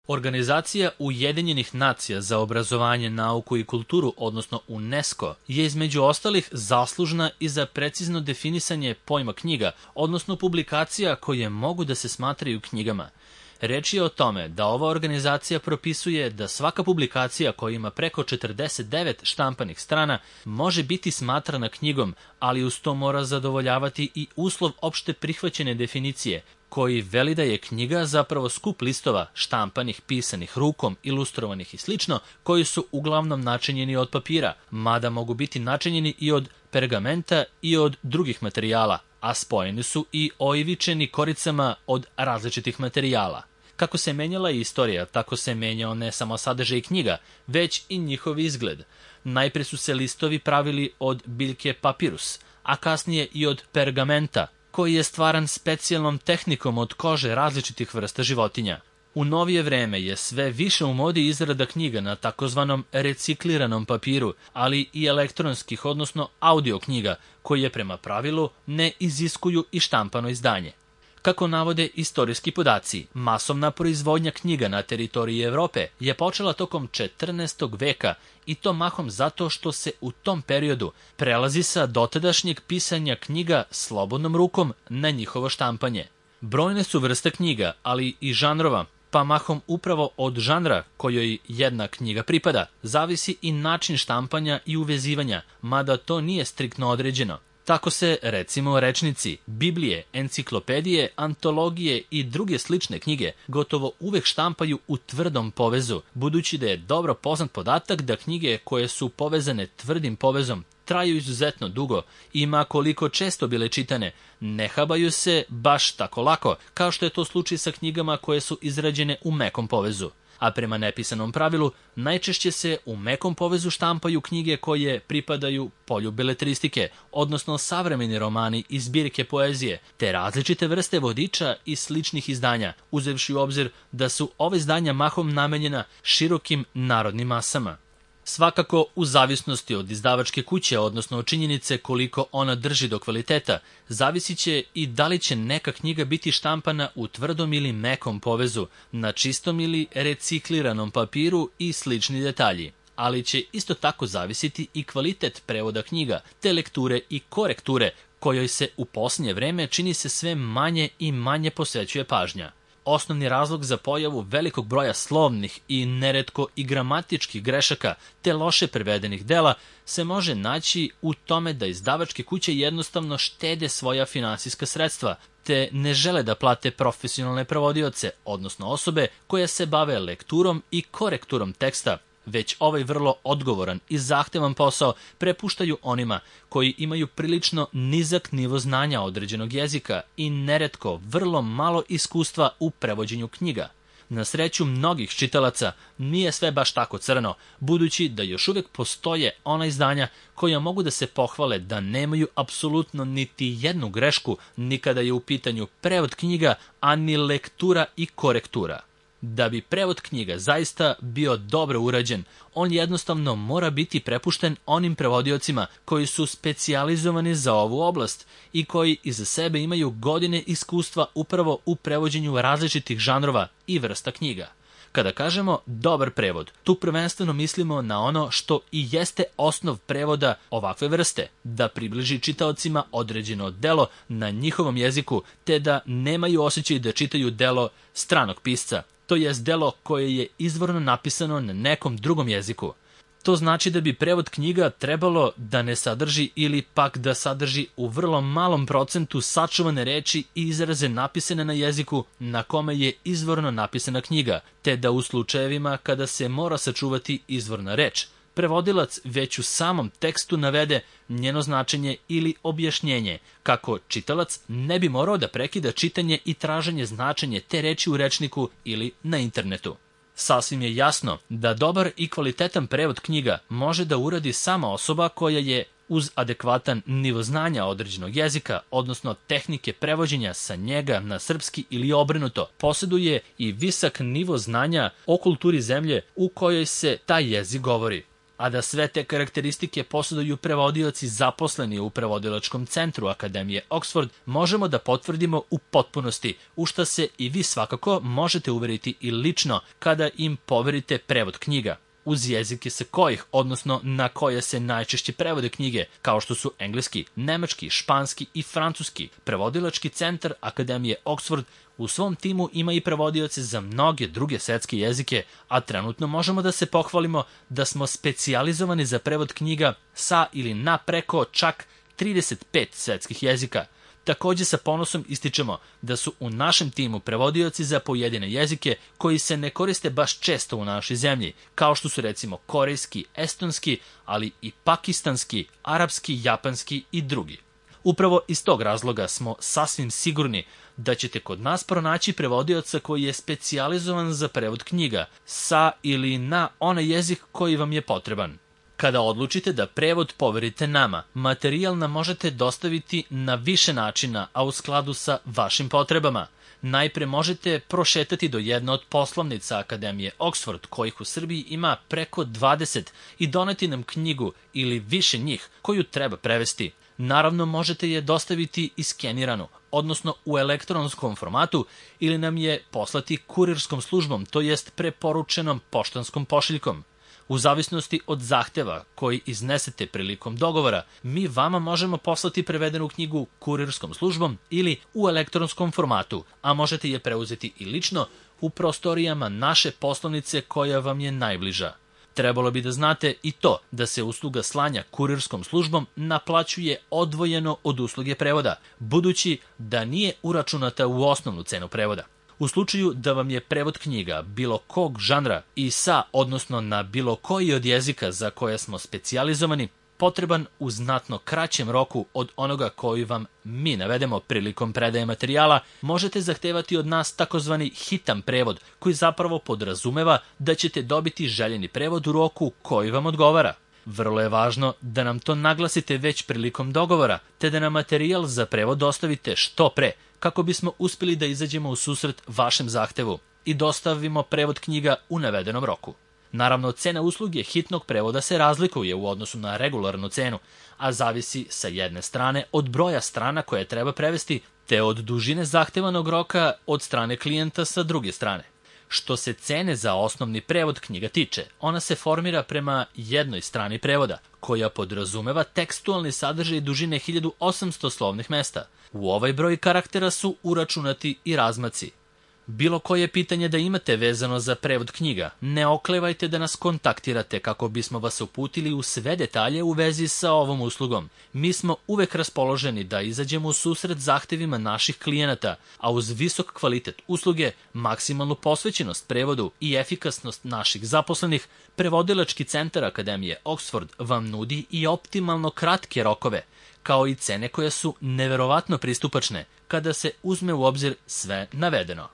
Organizacija Ujedinjenih nacija za obrazovanje, nauku i kulturu, odnosno UNESCO, je između ostalih zaslužna i za precizno definisanje pojma knjiga, odnosno publikacija koje mogu da se smatraju knjigama. Reč je o tome da ova organizacija propisuje da svaka publikacija koja ima preko 49 štampanih strana može biti smatrana knjigom, ali uz to mora zadovoljavati i uslov opšte prihvaćene definicije, koji veli da je knjiga zapravo skup listova, štampanih, pisanih rukom, ilustrovanih i slično, koji su uglavnom načinjeni od papira, mada mogu biti načinjeni i od pergamenta i od drugih materijala, a spojeni su i oivičeni koricama od različitih materijala. Kako se menjala istorija, tako se menjao ne samo sadržaj knjiga, već i njihov izgled. Najpre su se listovi pravili od biljke papirus, a kasnije i od pergamenta, koji je stvaran specijalnom tehnikom od kože različitih vrsta životinja. U novije vreme je sve više u modi izrada knjiga na takozvanom recikliranom papiru, ali i elektronskih, odnosno audio knjiga, koje prema pravilu ne iziskuju i štampano izdanje. Kako navode istorijski podaci, masovna proizvodnja knjiga na teritoriji Evrope je počela tokom 14. veka i to mahom zato što se u tom periodu prelazi sa dotadašnjeg pisanja knjiga slobodnom rukom na njihovo štampanje. Brojne su vrste knjiga, ali i žanrova, pa mahom upravo od žanra kojoj jedna knjiga pripada, zavisi i način štampanja i uvezivanja, mada to nije striktno određeno. Tako se, recimo, rečnici, Biblije, enciklopedije, antologije i druge slične knjige gotovo uvek štampaju u tvrdom povezu, budući da je dobro poznat podatak da knjige koje su povezane tvrdim povezom traju izuzetno dugo i ma koliko često bile čitane, ne habaju se baš tako lako, kao što je to slučaj sa knjigama koje su izrađene u mekom povezu. A prema nepisanom pravilu, najčešće se u mekom povezu štampaju knjige koje pripadaju polju beletristike, odnosno savremeni romani i zbirke poezije, te različite vrste vodiča i sličnih izdanja, uzevši u obzir da su ove izdanja mahom namenjena širokim narodnim masama. Svakako, u zavisnosti od izdavačke kuće, odnosno od činjenice koliko ona drži do kvaliteta, zavisit će i da li će neka knjiga biti štampana u tvrdom ili mekom povezu, na čistom ili recikliranom papiru i slični detalji. Ali će isto tako zavisiti i kvalitet prevoda knjiga, te lekture i korekture, kojoj se u posljednje vreme čini se sve manje i manje posvećuje pažnja. Osnovni razlog za pojavu velikog broja slovnih i neretko i gramatičkih grešaka te loše prevedenih dela se može naći u tome da izdavačke kuće jednostavno štede svoja finansijska sredstva, te ne žele da plate profesionalne prevodioce, odnosno osobe koje se bave lekturom i korekturom teksta, već ovaj vrlo odgovoran i zahtevan posao prepuštaju onima koji imaju prilično nizak nivo znanja određenog jezika i neretko vrlo malo iskustva u prevođenju knjiga. Na sreću mnogih čitalaca nije sve baš tako crno, budući da još uvek postoje ona izdanja koja mogu da se pohvale da nemaju apsolutno niti jednu grešku ni kada je u pitanju prevod knjiga, a ni lektura i korektura. Da bi prevod knjiga zaista bio dobro urađen, on jednostavno mora biti prepušten onim prevodiocima koji su specijalizovani za ovu oblast i koji iza sebe imaju godine iskustva upravo u prevođenju različitih žanrova i vrsta knjiga. Kada kažemo dobar prevod, tu prvenstveno mislimo na ono što i jeste osnov prevoda ovakve vrste, da približi čitaocima određeno delo na njihovom jeziku, te da nemaju osjećaj da čitaju delo stranog pisca, to jest delo koje je izvorno napisano na nekom drugom jeziku. To znači da bi prevod knjiga trebalo da ne sadrži ili pak da sadrži u vrlo malom procentu sačuvane reči i izraze napisane na jeziku na kome je izvorno napisana knjiga, te da u slučajevima kada se mora sačuvati izvorna reč, prevodilac već u samom tekstu navede njeno značenje ili objašnjenje, kako čitalac ne bi morao da prekida čitanje i traženje značenje te reči u rečniku ili na internetu. Sasvim je jasno da dobar i kvalitetan prevod knjiga može da uradi sama osoba koja je uz adekvatan nivo znanja određenog jezika, odnosno tehnike prevođenja sa njega na srpski ili obrnuto, posjeduje i visok nivo znanja o kulturi zemlje u kojoj se taj jezik govori. a da sve te karakteristike posjeduju prevodioci zaposleni u prevodilačkom centru Akademije Oxford, možemo da potvrdimo u potpunosti, u šta se i vi svakako možete uveriti i lično kada im poverite prevod knjiga. Uz jezike sa kojih, odnosno na koje se najčešće prevode knjige, kao što su engleski, nemački, španski i francuski, prevodilački centar Akademije Oxford u svom timu ima i prevodioce za mnoge druge svetske jezike, a trenutno možemo da se pohvalimo da smo specijalizovani za prevod knjiga sa ili na preko čak 35 svetskih jezika. Takođe sa ponosom ističemo da su u našem timu prevodioci za pojedine jezike koji se ne koriste baš često u našoj zemlji, kao što su recimo korejski, estonski, ali i pakistanski, arapski, japanski i drugi. Upravo iz tog razloga smo sasvim sigurni da ćete kod nas pronaći prevodioca koji je specijalizovan za prevod knjiga sa ili na onaj jezik koji vam je potreban. Kada odlučite da prevod poverite nama, materijal nam možete dostaviti na više načina, a u skladu sa vašim potrebama. Najpre možete prošetati do jedne od poslovnica Akademije Oxford, kojih u Srbiji ima preko 20, i doneti nam knjigu ili više njih koju treba prevesti. Naravno, možete je dostaviti iskeniranu, odnosno u elektronskom formatu, ili nam je poslati kurirskom službom, to jest preporučenom poštanskom pošiljkom. U zavisnosti od zahteva koji iznesete prilikom dogovora, mi vama možemo poslati prevedenu knjigu kurirskom službom ili u elektronskom formatu, a možete je preuzeti i lično u prostorijama naše poslovnice koja vam je najbliža. Trebalo bi da znate i to da se usluga slanja kurirskom službom naplaćuje odvojeno od usluge prevoda, budući da nije uračunata u osnovnu cenu prevoda. U slučaju da vam je prevod knjiga bilo kog žanra i sa, odnosno na bilo koji od jezika za koje smo specijalizovani, potreban u znatno kraćem roku od onoga koji vam mi navedemo prilikom predaje materijala, možete zahtevati od nas takozvani hitan prevod, koji zapravo podrazumeva da ćete dobiti željeni prevod u roku koji vam odgovara. Vrlo je važno da nam to naglasite već prilikom dogovora, te da nam materijal za prevod dostavite što pre, kako bismo uspjeli da izađemo u susret vašem zahtevu i dostavimo prevod knjiga u navedenom roku. Naravno, cena usluge hitnog prevoda se razlikuje u odnosu na regularnu cenu, a zavisi sa jedne strane od broja strana koje treba prevesti, te od dužine zahtevanog roka od strane klijenta sa druge strane. Što se cene za osnovni prevod knjiga tiče, ona se formira prema jednoj strani prevoda, koja podrazumeva tekstualni sadržaj dužine 1800 slovnih mesta. U ovaj broj karaktera su uračunati i razmaci. Bilo koje pitanje da imate vezano za prevod knjiga, ne oklevajte da nas kontaktirate kako bismo vas uputili u sve detalje u vezi sa ovom uslugom. Mi smo uvek raspoloženi da izađemo u susret zahtevima naših klijenata, a uz visok kvalitet usluge, maksimalnu posvećenost prevodu i efikasnost naših zaposlenih, prevodilački centar Akademije Oxford vam nudi i optimalno kratke rokove, kao i cene koje su neverovatno pristupačne kada se uzme u obzir sve navedeno.